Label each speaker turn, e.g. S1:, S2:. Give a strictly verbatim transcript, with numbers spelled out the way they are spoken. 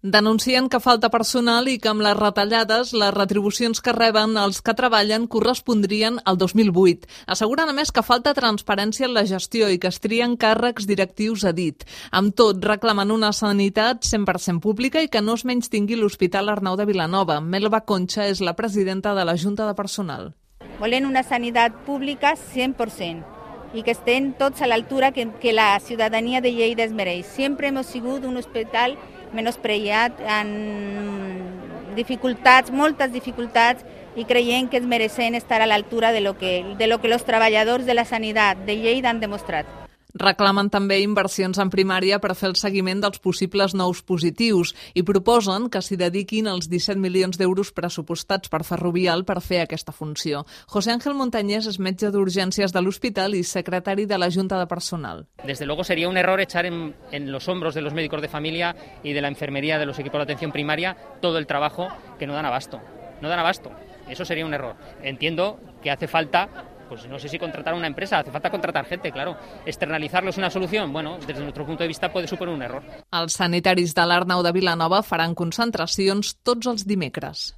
S1: Denuncien que falta personal i que amb les retallades les retribucions que reben els que treballen correspondrien al dos mil vuit. Asseguren a més que falta transparència en la gestió i que es trien càrrecs directius a dit. Amb tot, reclamen una sanitat cent per cent pública i que no es menystingui l'Hospital Arnau de Vilanova. Melba Concha és la presidenta de la Junta de Personal.
S2: Volem una sanitat pública cent per cent i que estén tots a l'altura que, que la ciutadania de Lleida es mereix. Sempre hem sigut un hospital menyspreat, amb dificultats, moltes dificultats, i creiem que es mereixen estar a l'altura de lo que, de lo que els treballadors de la sanitat de Lleida han demostrat.
S1: Reclamen també inversions en primària per fer el seguiment dels possibles nous positius i proposen que s'hi dediquin els disset milions d'euros pressupostats per Ferrovial per fer aquesta funció. José Ángel Montañés és metge d'urgències de l'hospital i secretari de la Junta de Personal.
S3: Desde luego sería un error echar en, en los hombros de los médicos de familia y de la enfermería de los equipos de atención primaria todo el trabajo que no dan abasto. No dan abasto. Eso sería un error. Entiendo que hace falta... Pues no sé si contratar a una empresa, hace falta contratar gente, claro. Externalizarlo es una solución? Bueno, desde nuestro punto de vista puede suponer un error.
S1: Els sanitaris de l'Arnau de Vilanova faran concentracions tots els dimecres.